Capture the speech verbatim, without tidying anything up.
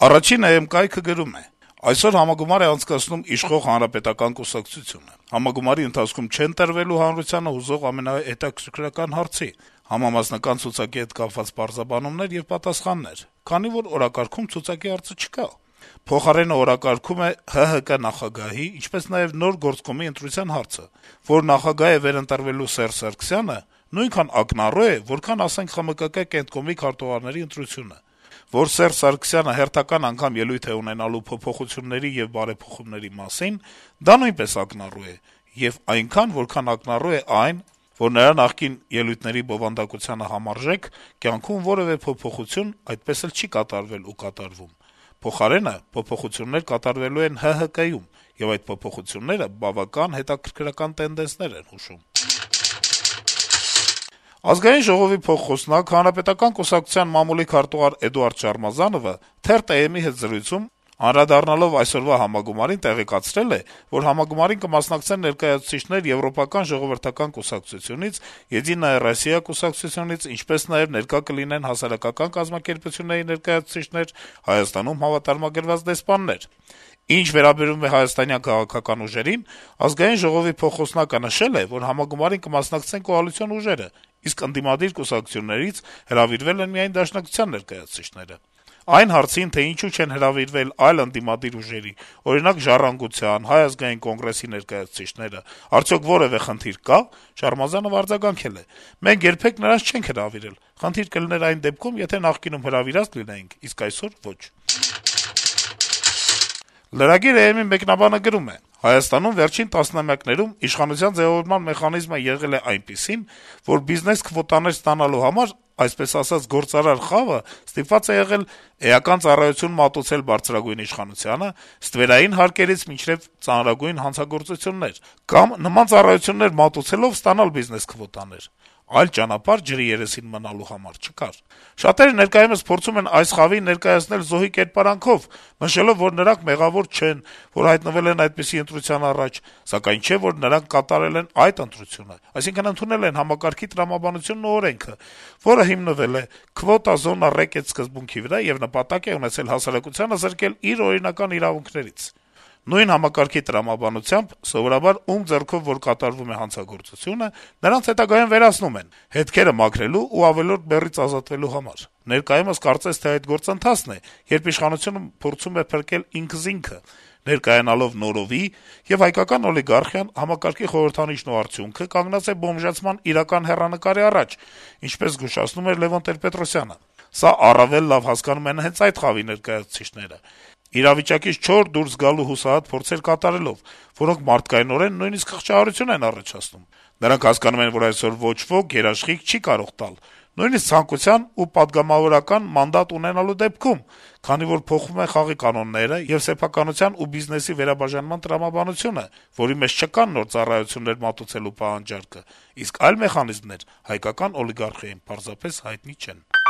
Առաջին է էմ կայքը գրում է. Այսօր համագումար է անցկացնում իշխող Հանրապետական կուսակցությունը։ Համագումարի ընթացքում չեն տրվելու հանրությանը հուզող ամենահետաքրքրական հարցի, համամասնական ցուցակի հետ կապված պարզաբանումներ եւ պատասխաններ, քանի որ օրակարգում ցուցակի հարցը չկա։ Փոխարենը օրակարգում է ՀՀԿ նախագահի, ինչպես նաեւ նոր գործկոմի ընտրության հարցը, որ նախագահ է վերընտրվելու Սերժ Սարգսյանը, նույնքան ակնառու է, որքան ասենք ԽՄԿԿ կենտկոմի քարտուղարների ընտրությունը։ Որ Սերժ Սարգսյանը հերթական անգամ ելույթ է ունենալու փոփոխությունների եւ բարեփոխումների մասին, դա նույնպես ակնառու է, եւ այնքան, որքան ակնառու է այն, որ նրա նախկին ելույթների բովանդակությանը համարժեք կյանքում որեւէ փոփոխություն այդպես էլ չի կատարվել ու կատարվում։ Փոխարենը փոփոխություններ կատարվելու են ՀՀԿ-ում, եւ այդ փոփոխությունները բավական հետաքրքրական տենդենսներ են հուշում։ Ազգային ժողովի փոխխոսնակ Հանրապետական կուսակցության մամուլի քարտուղար Էդուարդ Շարմազանովը թերթ-ԷՄ-ի հետ զրույցում անդրադառնալով այսօրվա համագումարին տեղեկացրել է, որ համագումարին կմասնակցեն ներկայացուցիչներ Եվրոպական ժողովրդական կուսակցությունից, «Եդինայա Ռոսիա» կուսակցությունից, ինչպես նաեւ ներկա կլինեն հասարակական կազմակերպությունների ներկայացուցիչներ, Հայաստանում հավատարմագրված դեսպաններ։ Ինչ վերաբերում է հայաստանյան քաղաքական ուժերին, Ազգային ժողովի փոխխոսնակը նշել է, որ համագումարին կմասնակցեն կոալիցիոն ուժերը, իսկ ընդդիմադիր կուսակցություններից հրավիրվել են միայն Դաշնակցության ներկայացուցիչները։ Այն հարցին, թե ինչու չեն հրավիրվել այլ ընդդիմադիր ուժերի, օրինակ «Ժառանգության», Հայ ազգային կոնգրեսի ներկայացուցիչները, արդյոք որեւէ խնդիր կա, Շարմազանովը արձագանքել է. «Մենք երբեք նրանց չենք հրավիրել, խնդիր կլիներ այն դեպքում, եթե նախկինում հրավիրած լինեինք, իսկ այսօր ոչ»։ Lragir.am-ի մեկնաբանը գրում է. - «Հայաստանում վերջին տասնամյակներում իշխանության ձեւավորման մեխանիզմը եղել է այնպիսին, որ բիզնես քվոտաներ ստանալու համար, այսպես ասած, գործարար խավը ստիպված է եղել էական ծառայություն մատուցել բարձրագույն իշխանությանը, ստվերային հարկերից մինչեւ ծանրագույն հանցագործություններ, կամ նման ծառայություններ մատուցելով ստանալ բիզնես քվոտաներ: Այլ ճանապարհ ջրի երեսին մնալու համար չկար: Շատերը ներկայումս փորձում են այս խավին ներկայացնել զոհի կերպարանքով, նշելով, որ նրանք մեղավոր չեն, որ հայտնվել են այդպիսի ընտրության առաջ, սակայն չէ, որ նրանք կատարել են այդ ընտրությունը, այսինքն ընդունել են համակարգի տրամաբանությունն ու օրենքը, որը հիմնվել է «Քվոտա զոնա ռեկետ» սկզբունքի վրա եւ նպատակ է ունեցել հասարակությանը զրկել իր օրինական իրավունքներից: Նույն համակարգի տրամաբանությամբ սովորաբար ում ձեռքով որ կատարվում է հանցագործությունը, նրանց հետագայում վերացնում են, հետքերը մաքրելու ու ավելորդ բեռից ազատվելու համար: Ներկայումս կարծես թե այդ գործընթացն է, երբ իշխանությունը փորձում է փրկել ինքզինքը, ներկայանալով նորովի, եւ հայկական օլիգարխիան, համակարգի խորհրդանիշն ու արդյունքը, կանգնած է բոմժացման իրական հեռանկարի առաջ, ինչպես զգուշացնում էր Լեւոն Տեր-Պետրոսյանը: Սա առավել լավ հասկանում են հենց այդ խավի ներկայացուցիչները, իրավիճակից չոր դուրս գալու հուսահատ փորձեր կատարելով, որոնք մարդկայնորեն նույնիսկ խղճահարություն են առաջացնում: Նրանք հասկանում են, որ այսօր ոչ ոք երաշխիք չի կարող տալ, նույնիսկ ցանկության ու պատգամավորական մանդատ ունենալու դեպքում, քանի որ փոխվում են խաղի կանոնները եւ սեփականության ու բիզնեսի վերաբաժանման տրամաբանությունը, որի մեջ չկան նոր ծառայություններ մատուցելու պահանջարկը, իսկ այլ մեխանիզմներ հայկական օլիգարխիային պարզապես հայտնի չեն»: